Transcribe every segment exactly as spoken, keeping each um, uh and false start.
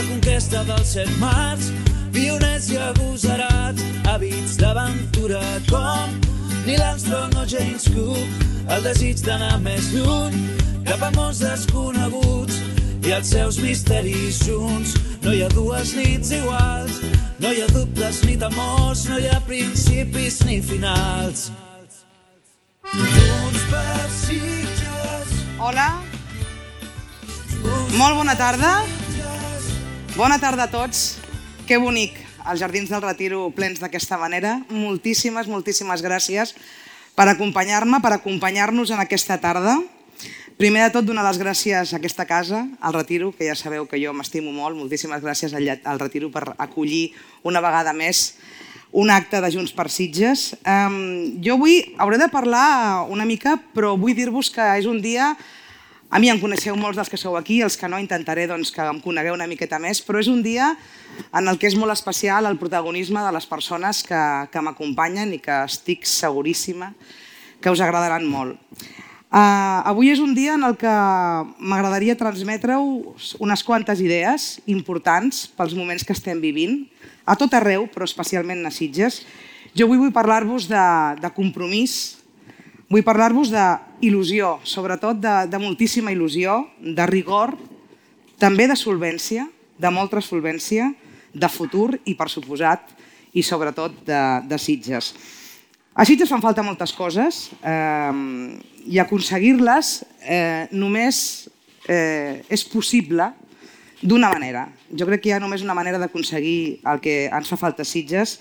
conquesta dels set mars, pioners i agosarats, hàbits d'aventura com Neil Armstrong o James Cook, el desig d'anar més lluny, cap a mons desconeguts i els seus misteris junts. No hi ha dues nits iguals, no hi ha dubtes ni temors, no hi ha principis ni finals. Junts per Sitges. Hola. Molt bona tarda. Bona tarda a tots. Que bonic, els Jardins del Retiro plens d'aquesta manera. Moltíssimes, moltíssimes gràcies per acompanyar-me, per acompanyar-nos en aquesta tarda. Primer de tot, donar les gràcies a aquesta casa, al Retiro, que ja sabeu que jo m'estimo molt. Moltíssimes gràcies al Retiro per acollir una vegada més un acte de Junts per Sitges. Jo avui hauré de parlar una mica, però vull dir-vos que és un dia... A mi em coneixeu molts dels que sou aquí, els que no intentaré que em conegueu una miqueta més, però és un dia en el que és molt especial el protagonisme de les persones que m'acompanyen i que estic seguríssima que us agradaran molt. Avui és un dia en el que m'agradaria transmetre-us unes quantes idees importants pels moments que estem vivint, a tot arreu, però especialment a Sitges. Jo avui vull parlar-vos de compromís, vull parlar-vos d'il·lusió, sobretot de moltíssima il·lusió, de rigor, també de solvència, de molta solvència, de futur i, per suposat, i sobretot de Sitges. A Sitges fan falta moltes coses i aconseguir-les només és possible d'una manera. Jo crec que hi ha només una manera d'aconseguir el que ens fa falta a Sitges,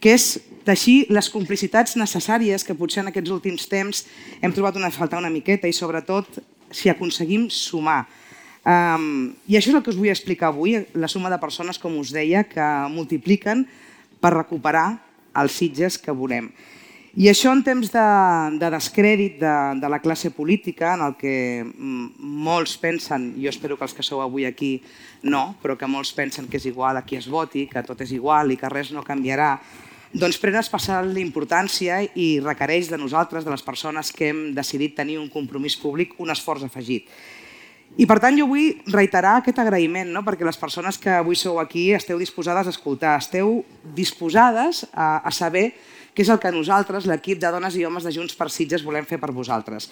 que és teixir les complicitats necessàries que potser en aquests últims temps hem trobat a faltar una miqueta i sobretot si aconseguim sumar. I això és el que us vull explicar avui, la suma de persones, com us deia, que multipliquen per recuperar els Sitges que volem. I això en temps de descrèdit de la classe política, en el que molts pensen, jo espero que els que sou avui aquí no, però que molts pensen que és igual a qui es voti, que tot és igual i que res no canviarà, doncs pren especial importància i requereix de nosaltres, de les persones que hem decidit tenir un compromís públic, un esforç afegit. I per tant jo vull reiterar aquest agraïment, perquè les persones que avui sou aquí esteu disposades a escoltar, esteu disposades a saber què és el que nosaltres, l'equip de dones i homes de Junts per Sitges, volem fer per vosaltres.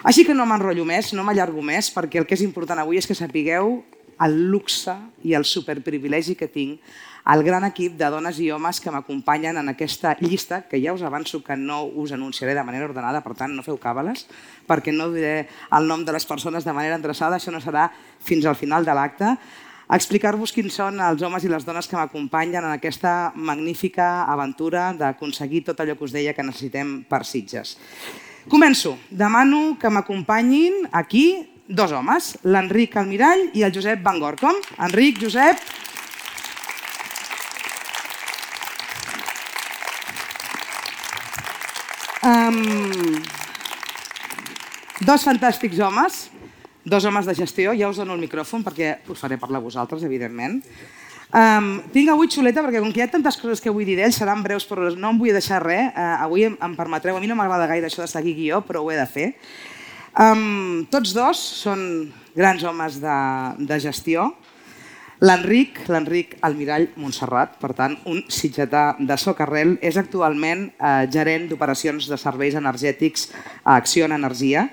Així que no m'enrotllo més, no m'allargo més, perquè el que és important avui és que sapigueu el luxe i el superprivilegi que tinc, el gran equip de dones i homes que m'acompanyen en aquesta llista, que ja us avanço que no us anunciaré de manera ordenada, per tant no feu càbales, perquè no diré el nom de les persones de manera endreçada, això no serà fins al final de l'acte, a explicar-vos quins són els homes i les dones que m'acompanyen en aquesta magnífica aventura d'aconseguir tot allò que us deia que necessitem per Sitges. Començo. Demano que m'acompanyin aquí dos homes, l'Enric Almirall i el Josep Van Gorkom. Enric, Josep... Dos fantàstics homes, dos homes de gestió. Ja us dono el micròfon perquè us faré parlar a vosaltres, evidentment. Tinc avui xuleta perquè com que hi ha tantes coses que vull dir d'ells, seran breus, però no em vull deixar res. Avui em permetreu, a mi no m'agrada gaire això de seguir guió, però ho he de fer. Tots dos són grans homes de gestió. L'Enric, l'Enric Almirall Montserrat, per tant, un sitgetà de socarrel, és actualment gerent d'operacions de serveis energètics a Acciona Energia.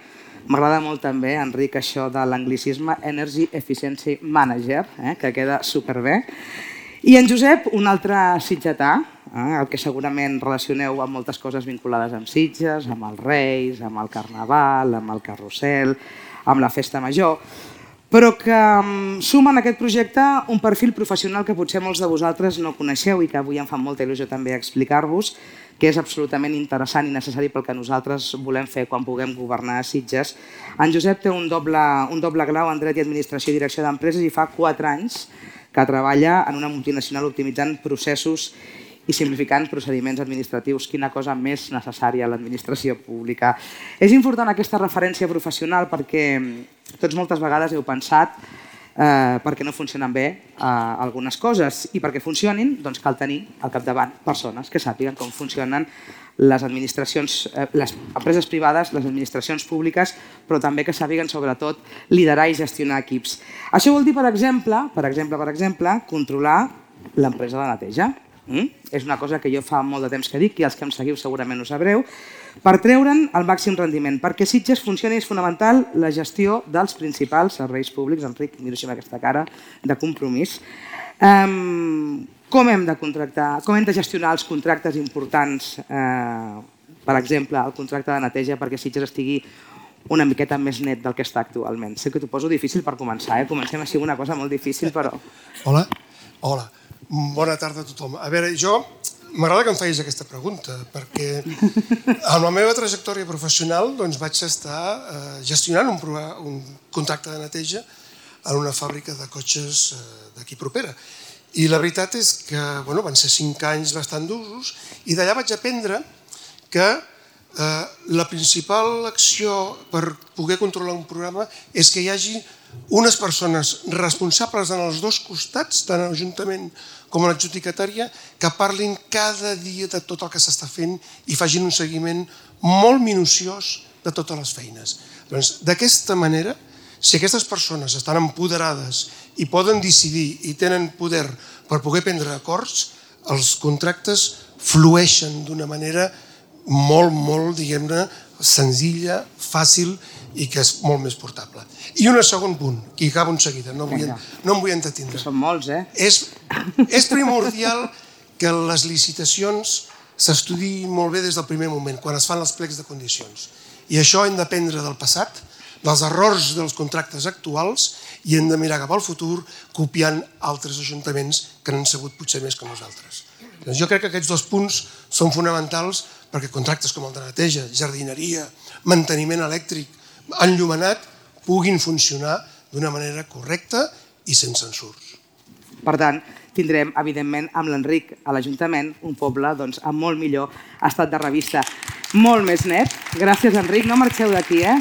M'agrada molt també, Enric, això de l'anglicisme Energy Efficiency Manager, que queda superbé. I en Josep, un altre sitgetà, el que segurament relacioneu amb moltes coses vinculades amb Sitges, amb els Reis, amb el Carnaval, amb el Carrusel, amb la Festa Major, però que suma en aquest projecte un perfil professional que potser molts de vosaltres no coneixeu i que avui em fa molta il·lusió també explicar-vos, que és absolutament interessant i necessari pel que nosaltres volem fer quan puguem governar a Sitges. En Josep té un doble grau en Dret i Administració i Direcció d'Empreses i fa quatre anys que treballa en una multinacional optimitzant processos i simplificant procediments administratius. Quina cosa més necessària a l'administració pública. És important aquesta referència professional perquè tots moltes vegades heu pensat perquè no funcionen bé algunes coses, i perquè funcionin cal tenir al capdavant persones que sàpiguen com funcionen les administracions, les empreses privades, les administracions públiques, però també que sàpiguen sobretot liderar i gestionar equips. Això vol dir, per exemple, per exemple, per exemple, controlar l'empresa de neteja. És una cosa que jo fa molt de temps que dic, i els que em seguiu segurament ho sabreu, per treure'n el màxim rendiment. Perquè Sitges funcioni és fonamental la gestió dels principals serveis públics. Enric, miro així amb aquesta cara de compromís. Com hem de contractar, com hem de gestionar els contractes importants, per exemple, el contracte de neteja perquè Sitges estigui una miqueta més net del que està actualment? Sé que t'ho poso difícil per començar, comencem així amb una cosa molt difícil, però... Hola, hola. Bona tarda a tothom. A veure, jo m'agrada que em facis aquesta pregunta, perquè en la meva trajectòria professional vaig estar gestionant un contracte de neteja en una fàbrica de cotxes d'aquí propera. I la veritat és que van ser cinc anys bastant d'usos, i d'allà vaig aprendre que la principal acció per poder controlar un programa és que hi hagi unes persones responsables en els dos costats, tant a l'Ajuntament com a l'adjudicatària, que parlin cada dia de tot el que s'està fent i facin un seguiment molt minuciós de totes les feines. D'aquesta manera, si aquestes persones estan empoderades i poden decidir i tenen poder per poder prendre acords, els contractes flueixen d'una manera molt, molt, diguem-ne, senzilla, fàcil i que és molt més portable. I un segon punt, que hi acabo en seguida, no em vull entretindre. Que són molts, eh? És primordial que les licitacions s'estudiïn molt bé des del primer moment, quan es fan els plecs de condicions. I això hem d'aprendre del passat, dels errors dels contractes actuals, i hem de mirar cap al futur copiant altres ajuntaments que n'han sabut potser més que nosaltres. Jo crec que aquests dos punts són fonamentals perquè contractes com el de neteja, jardineria, manteniment elèctric, enllumenat, puguin funcionar d'una manera correcta i sense ensurts. Per tant, tindrem, evidentment, amb l'Enric a l'Ajuntament, un poble amb molt millor estat de revista. Molt més net. Gràcies, Enric. No marxeu d'aquí, eh?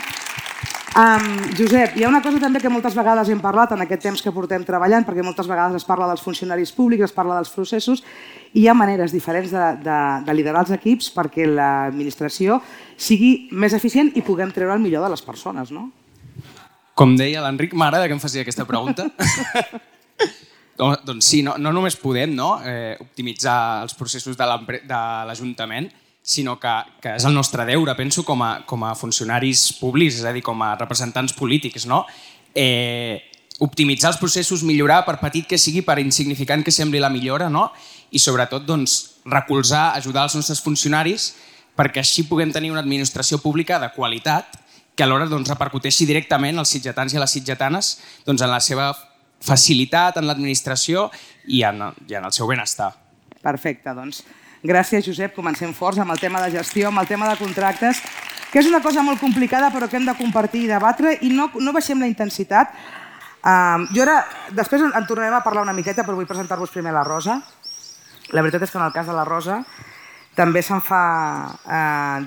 Josep, hi ha una cosa també que moltes vegades hem parlat en aquest temps que portem treballant, perquè moltes vegades es parla dels funcionaris públics, es parla dels processos, i hi ha maneres diferents de liderar els equips perquè l'administració sigui més eficient i puguem treure el millor de les persones, no? Com deia l'Enric, m'agrada que em faci aquesta pregunta. Doncs sí, no només podem optimitzar els processos de l'Ajuntament, sinó que és el nostre deure, penso, com a funcionaris públics, és a dir, com a representants polítics, optimitzar els processos, millorar, per petit que sigui, per insignificant que sembli la millora, i sobretot recolzar, ajudar els nostres funcionaris perquè així puguem tenir una administració pública de qualitat que alhora repercuteixi directament als sitgetans i a les sitgetanes en la seva facilitat en l'administració i en el seu benestar. Perfecte, doncs gràcies, Josep. Comencem forts amb el tema de gestió, amb el tema de contractes, que és una cosa molt complicada però que hem de compartir i debatre, i no baixem la intensitat. Jo ara, després en tornarem a parlar una miqueta, però vull presentar-vos primer la Rosa. La veritat és que en el cas de la Rosa també se'm fa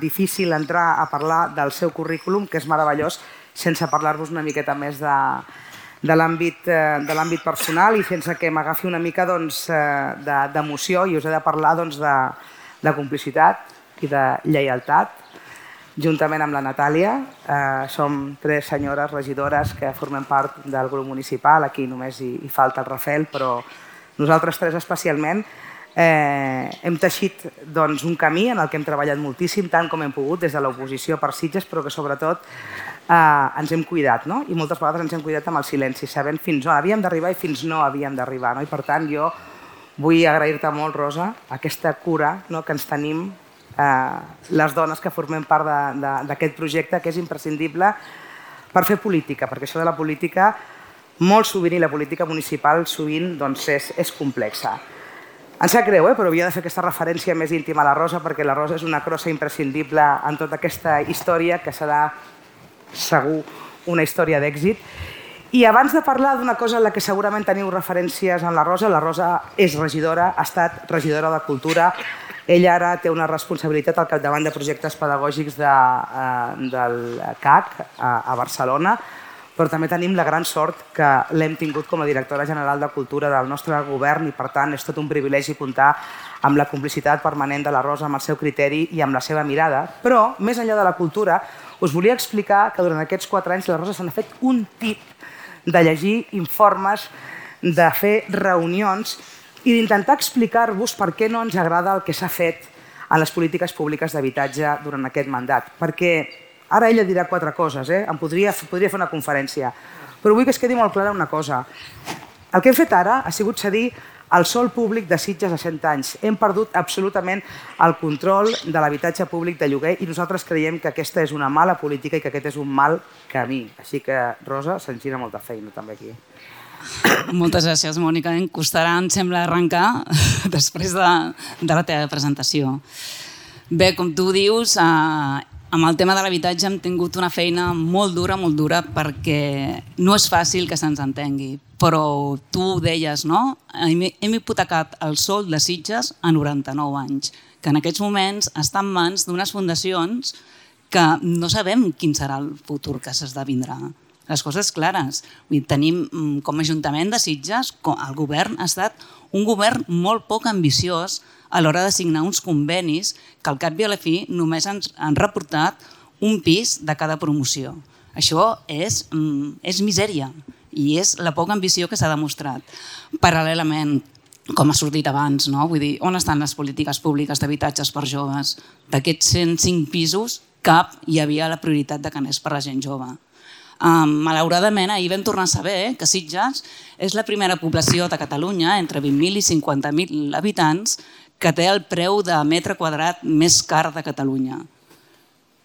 difícil entrar a parlar del seu currículum, que és meravellós, sense parlar-vos una miqueta més de l'àmbit personal i sense que m'agafi una mica d'emoció, i us he de parlar de complicitat i de lleialtat, juntament amb la Natàlia. Som tres senyores regidores que formem part del grup municipal, aquí només hi falta el Rafael, però nosaltres tres especialment hem teixit un camí en el que hem treballat moltíssim, tant com hem pogut, des de l'oposició per Sitges, però que sobretot ens hem cuidat, i moltes vegades ens hem cuidat amb el silenci, sabent fins on havíem d'arribar i fins no havíem d'arribar. I per tant, jo vull agrair-te molt, Rosa, aquesta cura que ens tenim les dones que formem part d'aquest projecte, que és imprescindible per fer política, perquè això de la política, molt sovint, i la política municipal sovint és complexa. Em sap greu, però havia de fer aquesta referència més íntima a la Rosa, perquè la Rosa és una crossa imprescindible en tota aquesta història, que serà segur una història d'èxit. I abans de parlar d'una cosa en la que segurament teniu referències en la Rosa, la Rosa és regidora, ha estat regidora de Cultura, ella ara té una responsabilitat al capdavant de projectes pedagògics del C A C a Barcelona, però també tenim la gran sort que l'hem tingut com a directora general de Cultura del nostre govern i, per tant, és tot un privilegi comptar amb la complicitat permanent de la Rosa, amb el seu criteri i amb la seva mirada. Però, més enllà de la cultura, us volia explicar que durant aquests quatre anys la Rosa se n'ha fet un tip de llegir informes, de fer reunions i d'intentar explicar-vos per què no ens agrada el que s'ha fet a les polítiques públiques d'habitatge durant aquest mandat. Perquè ara ella dirà quatre coses, eh? Em podria, podria fer una conferència, però vull que es quedi molt clara una cosa. El que hem fet ara ha sigut cedir el sòl públic de Sitges a cent anys. Hem perdut absolutament el control de l'habitatge públic de lloguer i nosaltres creiem que aquesta és una mala política i que aquest és un mal camí. Així que, Rosa, se'ns gira molta feina també aquí. Moltes gràcies, Mònica. Em costarà, em sembla, arrencar després de, de la teva presentació. Bé, com tu dius, eh, amb el tema de l'habitatge hem tingut una feina molt dura, molt dura, perquè no és fàcil que se'ns entengui. Però tu ho deies, no? Hem, hem hipotecat el sòl de Sitges a noranta-nou anys, que en aquests moments està en mans d'unes fundacions que no sabem quin serà el futur que s'esdevindrà. Les coses clares. Tenim com a Ajuntament de Sitges, el govern ha estat un govern molt poc ambiciós a l'hora de signar uns convenis que al cap i a la fi només ens han reportat un pis de cada promoció. Això és, és misèria i és la poca ambició que s'ha demostrat. Paral·lelament, com ha sortit abans, no? Vull dir, on estan les polítiques públiques d'habitatges per joves? D'aquests cent cinc pisos, cap hi havia la prioritat de que anés per la gent jove. Um, malauradament, ahir vam tornar a saber que Sitges és la primera població de Catalunya, entre vint mil i cinquanta mil habitants, que té el preu de metre quadrat més car de Catalunya.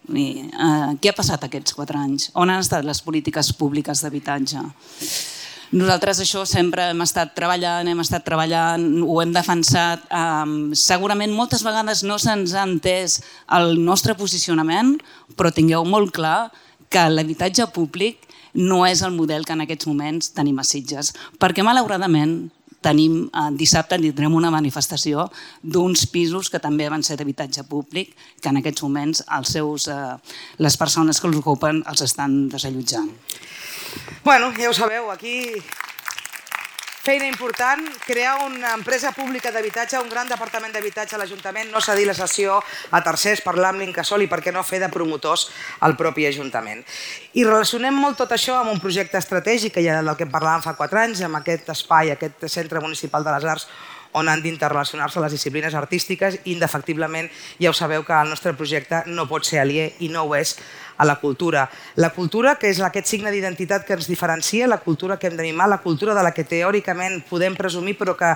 I, uh, què ha passat aquests quatre anys? On han estat les polítiques públiques d'habitatge? Nosaltres això sempre hem estat treballant, hem estat treballant, ho hem defensat. Um, segurament moltes vegades no se'ns ha entès el nostre posicionament, però tingueu molt clar que l'habitatge públic no és el model que en aquests moments tenim a Sitges, perquè malauradament tenim, eh, dissabte tindrem una manifestació d'uns pisos que també van ser d'habitatge públic, que en aquests moments els seus, eh, les persones que els ocupen els estan desallotjant. Bueno, ja ho sabeu, aquí feina important, crear una empresa pública d'habitatge, un gran departament d'habitatge a l'Ajuntament, no cedir la sessió a tercers, parlar amb l'Incasòl i per què no fer de promotors al propi Ajuntament. I relacionem molt tot això amb un projecte estratègic, que ja del que parlàvem fa quatre anys, amb aquest espai, aquest Centre Municipal de les Arts, on han d'interrelacionar-se les disciplines artístiques i, indefectiblement, ja ho sabeu que el nostre projecte no pot ser aliè i no ho és a la cultura. La cultura, que és aquest signe d'identitat que ens diferencia, la cultura que hem de mimar, la cultura de la que teòricament podem presumir, però que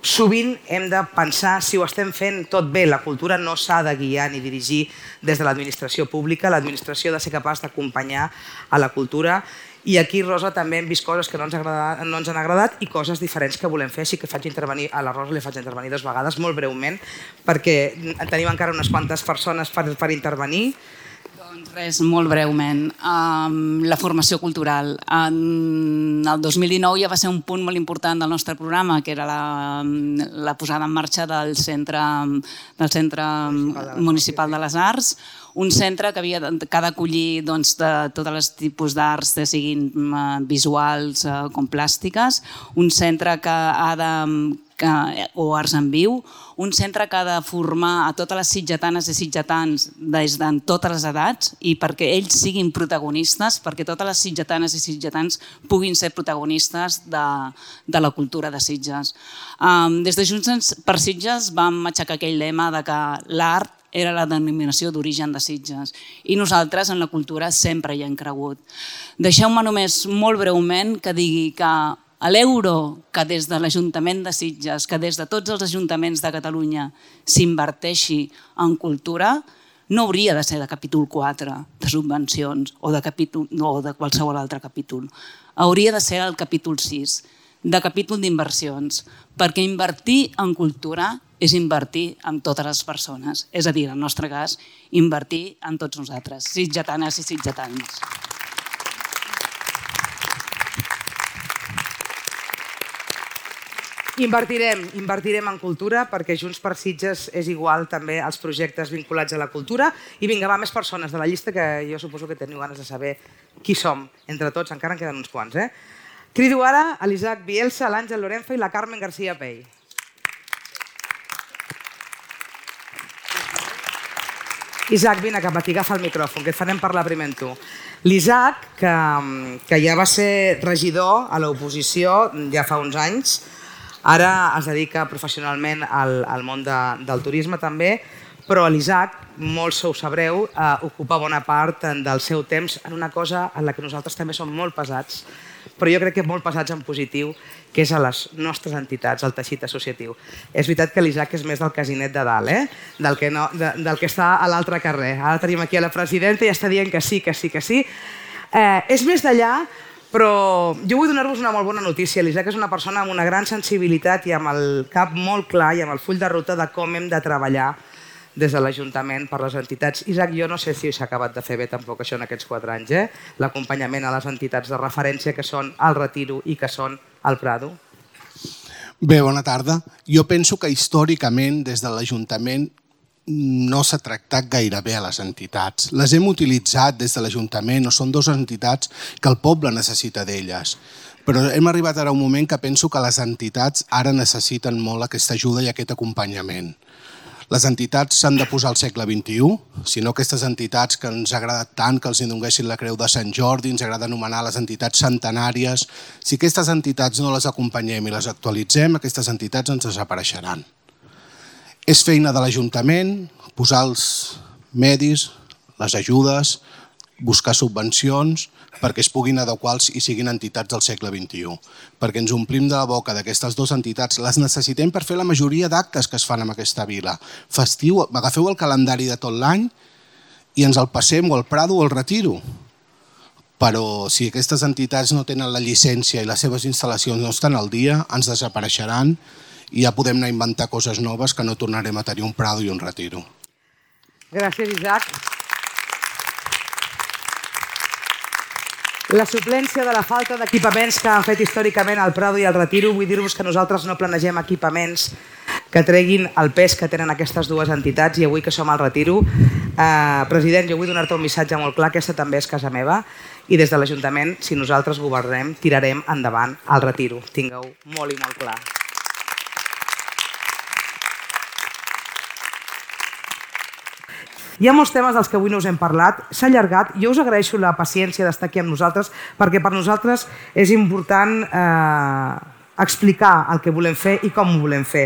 sovint hem de pensar si ho estem fent tot bé. La cultura no s'ha de guiar ni dirigir des de l'administració pública, l'administració ha de ser capaç d'acompanyar a la cultura. I aquí, Rosa, també hem vist coses que no ens, agradat, no ens han agradat i coses diferents que volem fer. Així que faig intervenir a la Rosa, li faig intervenir dues vegades, molt breument, perquè tenim encara unes quantes persones per, per intervenir. Doncs res, molt breument. Um, la formació cultural. En el dos mil dinou ja va ser un punt molt important del nostre programa, que era la, la posada en marxa del Centre, del centre Municipal de les Arts, un centre que havia que ha d'acollir doncs, de tots els tipus d'arts, siguin visuals com plàstiques, un centre que ha de que, o arts en viu, un centre que ha de formar a totes les sitgetanes i sitgetans des de totes les edats i perquè ells siguin protagonistes, perquè totes les sitgetanes i sitgetans puguin ser protagonistes de, de la cultura de Sitges. Um, des de Junts per Sitges vam aixecar aquell lema de que l'art era la denominació d'origen de Sitges i nosaltres en la cultura sempre hi hem cregut. Deixeu-me només molt breument que digui que l'euro que des de l'Ajuntament de Sitges, que des de tots els ajuntaments de Catalunya s'inverteixi en cultura, no hauria de ser de capítol quatre de subvencions o de, capítol, no, de qualsevol altre capítol. Hauria de ser el capítol sis, de capítol d'inversions, perquè invertir en cultura és invertir en totes les persones. És a dir, en el nostre cas, invertir en tots nosaltres, sitgetanes i sitgetans. Invertirem, invertirem en cultura perquè Junts per Sitges és igual també als projectes vinculats a la cultura i vinga, va, més persones de la llista que jo suposo que teniu ganes de saber qui som. Entre tots, encara en queden uns quants, eh? Crido ara a l'Isaac Bielsa, l'Àngel Lorenzo i la Carmen García Pell. Isaac, vine cap aquí, agafa el micròfon, que et farem parlar primer amb tu. L'Isaac, que, que ja va ser regidor a l'oposició ja fa uns anys, ara es dedica professionalment al, al món de, del turisme també, però l'Isaac, molts ho sabreu, eh, ocupa bona part del seu temps en una cosa en la que nosaltres també som molt pesats, però jo crec que molt pesats en positiu, que és a les nostres entitats, al teixit associatiu. És veritat que l'Isaac és més del casinet de dalt, eh? del, que no, de, del que està a l'altre carrer. Ara tenim aquí a la presidenta i està dient que sí, que sí, que sí. Eh, és més d'allà, però jo vull donar-vos una molt bona notícia. L'Isaac és una persona amb una gran sensibilitat i amb el cap molt clar i amb el full de ruta de com hem de treballar des de l'Ajuntament per les entitats. Isaac, jo no sé si s'ha acabat de fer bé tampoc això en aquests quatre anys, eh? L'acompanyament a les entitats de referència que són el Retiro i que són el Prado. Bé, bona tarda. Jo penso que històricament des de l'Ajuntament no s'ha tractat gaire bé a les entitats. Les hem utilitzat des de l'Ajuntament, o són dues entitats que el poble necessita d'elles. Però hem arribat ara a un moment que penso que les entitats ara necessiten molt aquesta ajuda i aquest acompanyament. Les entitats s'han de posar al segle vint-i-u, si no aquestes entitats que ens ha agradat tant que els donguessin la Creu de Sant Jordi, ens agrada anomenar les entitats centenàries, si aquestes entitats no les acompanyem i les actualitzem, aquestes entitats ens desapareixeran. És feina de l'Ajuntament posar els medis, les ajudes, buscar subvencions perquè es puguin adequar i siguin entitats del segle vint-i-u. Perquè ens omplim de la boca d'aquestes dues entitats, les necessitem per fer la majoria d'actes que es fan en aquesta vila. Festiu, agafeu el calendari de tot l'any i ens el passem o al Prado o al Retiro. Però si aquestes entitats no tenen la llicència i les seves instal·lacions no estan al dia, ens desapareixeran i ja podem anar a inventar coses noves que no tornarem a tenir un Prado i un Retiro. Gràcies, Isaac. La suplència de la falta d'equipaments que han fet històricament el Prado i el Retiro, vull dir-vos que nosaltres no planegem equipaments que treguin el pes que tenen aquestes dues entitats i avui que som al Retiro, eh, president, jo vull donar-te un missatge molt clar, aquesta també és casa meva i des de l'Ajuntament, si nosaltres governem, tirarem endavant el Retiro. Tingueu molt i molt clar. Hi ha molts temes dels que avui no us hem parlat, s'ha allargat, jo us agraeixo la paciència d'estar aquí amb nosaltres perquè per nosaltres és important eh, explicar el que volem fer i com ho volem fer.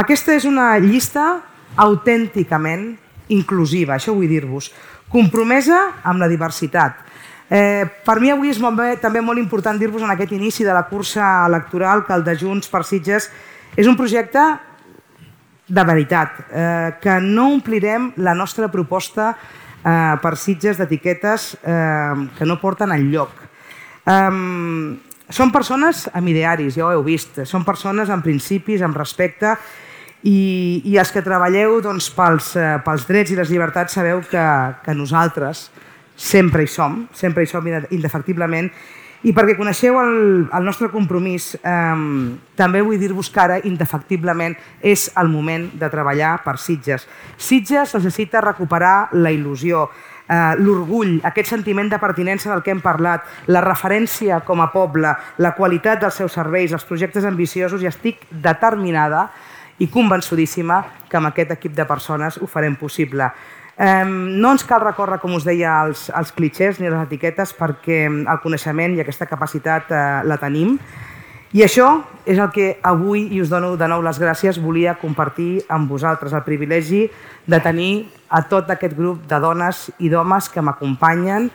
Aquesta és una llista autènticament inclusiva, això vull dir-vos, compromesa amb la diversitat. Eh, per mi avui és molt bé, també molt important dir-vos en aquest inici de la cursa electoral que el de Junts per Sitges és un projecte de veritat, eh, que no omplirem la nostra proposta eh, per Sitges d'etiquetes eh, que no porten enlloc. Eh, són persones amb idearis, ja ho heu vist, són persones amb principis, amb respecte i, i els que treballeu doncs, pels, eh, pels drets i les llibertats sabeu que, que nosaltres sempre hi som, sempre hi som indefectiblement. I perquè coneixeu el, el nostre compromís, eh, també vull dir-vos que ara, indefectiblement, és el moment de treballar per Sitges. Sitges necessita recuperar la il·lusió, eh, l'orgull, aquest sentiment de pertinença del que hem parlat, la referència com a poble, la qualitat dels seus serveis, els projectes ambiciosos, i estic determinada i convençudíssima que amb aquest equip de persones ho farem possible. No ens cal recórrer, com us deia, als, als clitxers ni a les etiquetes perquè el coneixement i aquesta capacitat eh, la tenim. I això és el que avui, i us dono de nou les gràcies, volia compartir amb vosaltres, el privilegi de tenir a tot aquest grup de dones i d'homes que m'acompanyen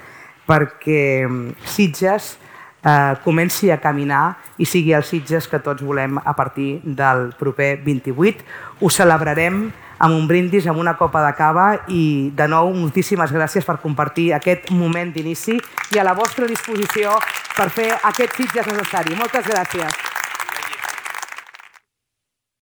perquè Sitges eh, comenci a caminar i sigui el Sitges que tots volem a partir del proper vint-i-vuit. Ho celebrarem amb un brindis, amb una copa de cava i, de nou, moltíssimes gràcies per compartir aquest moment d'inici i a la vostra disposició per fer aquest Sitges necessari. Moltes gràcies.